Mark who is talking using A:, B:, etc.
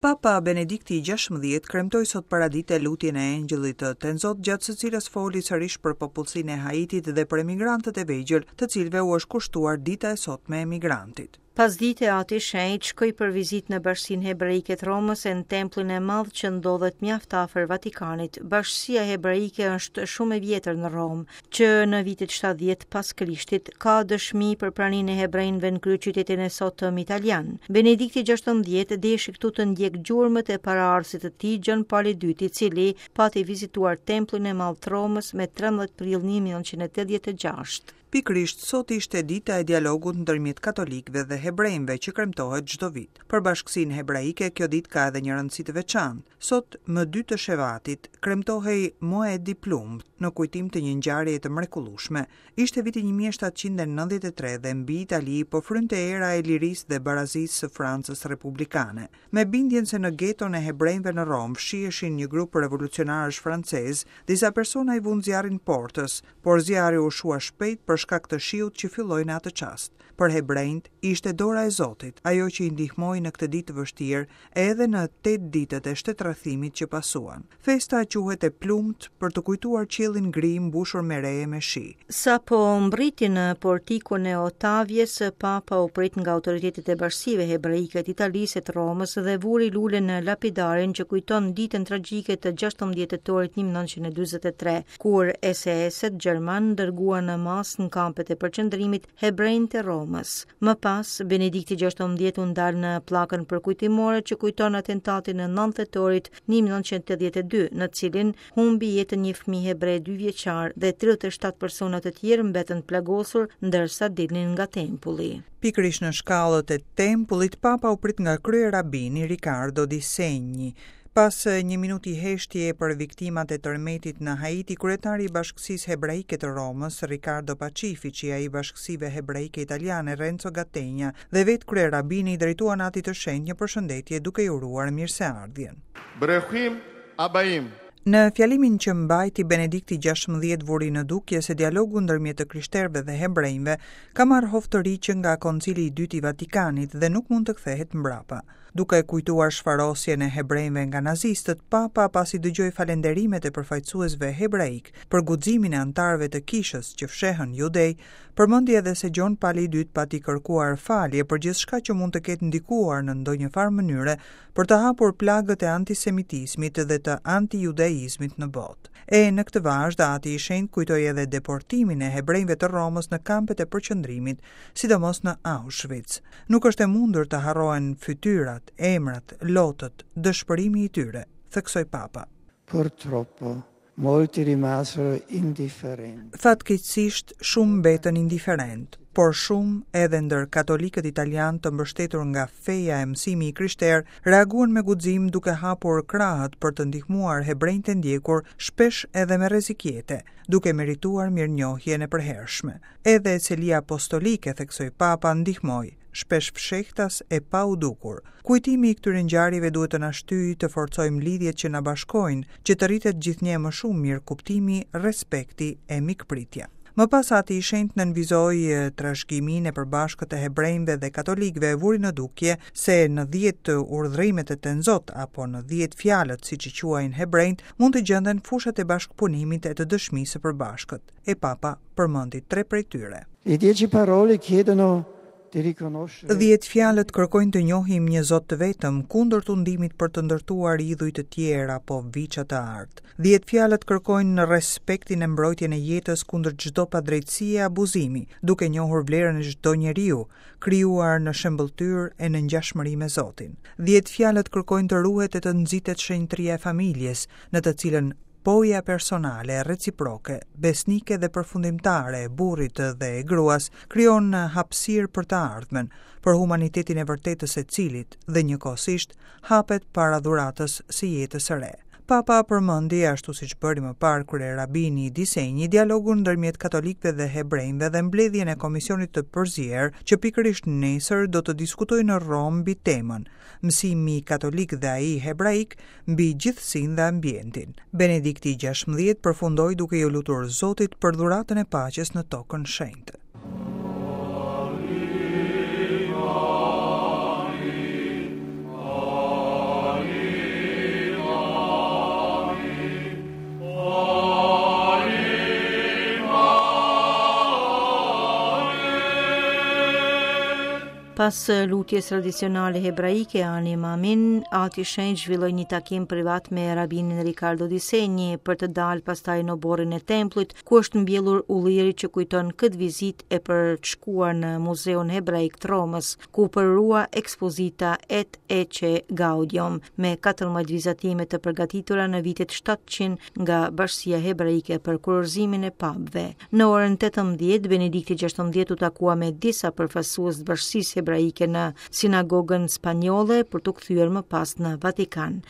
A: Papa Benedikti i 16 kremtoi sot paradite lutjen e Engjëllit të Tenzot, gjatë së cilës foli sërish për popullsinë e Haitit dhe për emigrantët e vegjël, të cilëve u është kushtuar dita e sotme e emigrantit.
B: Pasdite Ati i Shenjtë shkoi për vizitë në Bashkësinë Hebraike të Romës e në Tempullin e Madh që ndodhet mjaft afër Vatikanit. Bashkësia Hebraike është shumë e vjetër në Romë, që në vitet 70 pas Krishtit ka dëshmi për praninë e hebrenjve në kryeqytetin e sotëm italian. Benedikti XVI deshi këtu të ndjekë gjurmët e paraardhësit të tij Gjon Pali II, i cili pati vizituar Tempullin e Madh të Romës me 13 prill 1986.
A: Pikërisht sot ishte dita e dialogut ndërmjet katolikëve dhe hebrenjve që kremtohet çdo vit. Për bashkësinë hebraike kjo ditë ka edhe një rëndësi të veçantë. Sot, më dy të Shevatit, kremtohej Moed i Plumbtë, në kujtim të një ngjarjeje të mrekullueshme. Ishte viti 1793 dhe mbi Itali po frynte era e lirisë dhe barazisë së Francës republikane. Me bindjen se në geton e hebrenjve në Romë fshiheshin një grup revolucionarësh francezë, disa persona i vunë zjarrin portës, por zjarri u shua shpejt për shkak të shiut që filloi në atë çast. Për hebrenjtë, ishte dora e Zotit, ajo që i ndihmoi në këtë ditë të vështirë edhe në tetë ditët e shtetrrethimit që pasuan. Festa quhet e plumbtë për të kujtuar qiellin gri mbushur me re e me shi.
B: Sapo mbërriti në portikun e Ottavies, Papa u prit nga autoritetet e bashkësive hebraike të Italisë e të Romës dhe vuri lule në lapidarin që kujton ditën tragjike të 16 tetorit 1943. kur SS-et gjermanë dërguan në masë në kampet e përqendrimit hebrenjtë e Romës. Më pas, Benedikti XVI u ndal në pllakën përkujtimore që kujton atentatin e 9 tetorit 1982, në të cilin humbi jetën një fëmijë hebre 2 vjeçar dhe 37 persona të tjerë mbetën të plagosur ndërsa dilnin nga tempulli.
A: Pikërisht në shkallët e tempullit, Papa u prit nga kryerabini Riccardo Di Segni. Pas një minuti heshtjeje për viktimat e tërmetit në Haiti, kryetari i Bashkësisë Hebraike të Romës, Riccardo Pacifici, ai i Bashkësive Hebraike Italiane, Renzo Gattegna, dhe vetë kryerabini i drejtuan Atit të Shenjtë një përshëndetje duke i uruar mirëseardhjen.
C: Bruchim habaim.
A: Në fjalimin që mbajti Benedikti 16 vuri në dukje se dialogu ndërmjet të krishterëve dhe hebrenjve ka marrë hov të ri që nga Koncili i Dytë i Vatikanit dhe nuk mund të kthehet mbrapa. Duke kujtuar shfarosjen e hebrenjve nga nazistët, Papa pasi dëgjoi falënderimet e përfaqësuesve hebraikë për guximin e anëtarëve të kishës që fshehën judej, përmendi edhe se Gjon Pali i Dytë pati kërkuar falje për gjithçka që mund të ketë ndikuar në ndonjë farë mënyre për të hapur plagët e antisemitizmit dhe të antijudaizmit në botë. E në këtë vazhdë, Ati i Shenjtë kujtoi edhe deportimin e hebrenjve të Romës në kampet e përqendrimit, sidomos në Auschwitz. Nuk është e mundur të harrohen fytyrat, emrat, lotët, dëshpërimi i tyre, theksoi Papa.
D: Purtroppo, molti rimasero indifferenti.
A: Fatkeqësisht, shumë mbetën indiferentë, por shumë edhe ndër katolikët italianë të mbështetur nga feja e mësimi i krishterë reaguan me guxim duke hapur krahët për të ndihmuar hebrenjtë e ndjekur, shpesh edhe me rrezik jete, duke merituar mirënjohjen e përhershme. Edhe Selia Apostolike, theksoi Papa, ndihmoi, shpesh fshehtas e pa u dukur. Kujtimi i këtyre ngjarjeve duhet të na shtyjë të forcojmë lidhjet që na bashkojnë, që të rritet gjithnjë e më shumë mirëkuptimi, respekti e mikpritja. Më pas Ati i Shenjtë nënvizoi trashëgiminë e përbashkët të hebrenjve dhe katolikëve e vuri në dukje se në dhjetë urdhërimet e Tenzot apo në dhjetë fjalët siç i quajnë hebrenjtë mund të gjenden fushat e bashkëpunimit e të dëshmisë së përbashkët. E Papa përmendi tre prej
D: tyre. Le dieci parole chiedono di riconoscere.
A: Dhjetë fjalët kërkojnë të njohim një Zot të vetëm, kundër tundimit për të ndërtuar idhuj të tjerë apo viça të artë. Dhjetë fjalët kërkojnë respektin e mbrojtjen e jetës kundër çdo padrejtësie e abuzimi, duke njohur vlerën e çdo njeriu, krijuar në shëmbëlltyrë e në ngjashmëri me Zotin. Dhjetë fjalët kërkojnë të ruhet e të nxitet shenjtëria e familjes, në të cilën Po-ja personale, reciproke, besnike dhe përfundimtare e burrit dhe e gruas krijon hapësirë për të ardhmen, për humanitetin e vërtetë të secilit dhe njëkohësisht hapet para dhuratës së jetës së re. Papa përmendi, ashtu siç bëri më parë kryerabini Di Segni, dialogun ndërmjet katolikëve dhe hebrenjve dhe mbledhjen e Komisionit të Përzier, që pikërisht nesër do të diskutojë në Romë mbi temën, Mësimi katolik dhe ai hebraik mbi gjithësinë dhe ambientin. Benedikti i 16 përfundoi duke iu lutur Zotit për dhuratën e paqes në tokën shenjtë.
B: Pas lutjes tradicionale hebraike Ani Maamin, Ati i Shenjtë zhvilloi një takim privat me rabinin Riccardo Di Segni për të dalë pastaj në oborrin e tempullit, ku është mbjellur ulliri që kujton këtë vizitë e për të shkuar në Muzeun Hebraik të Romës, ku u përurua ekspozita Et Ecce Gaudium me 14 vizatime të përgatitura në vitet 700 nga Bashkësia Hebraike për kurorëzimin e papëve. Në orën 18, Benedikti XVI u takua me disa përfaqësues të bashkësisë hebraike në sinagogën spanjolle për t'u kthyer më pas në Vatikan.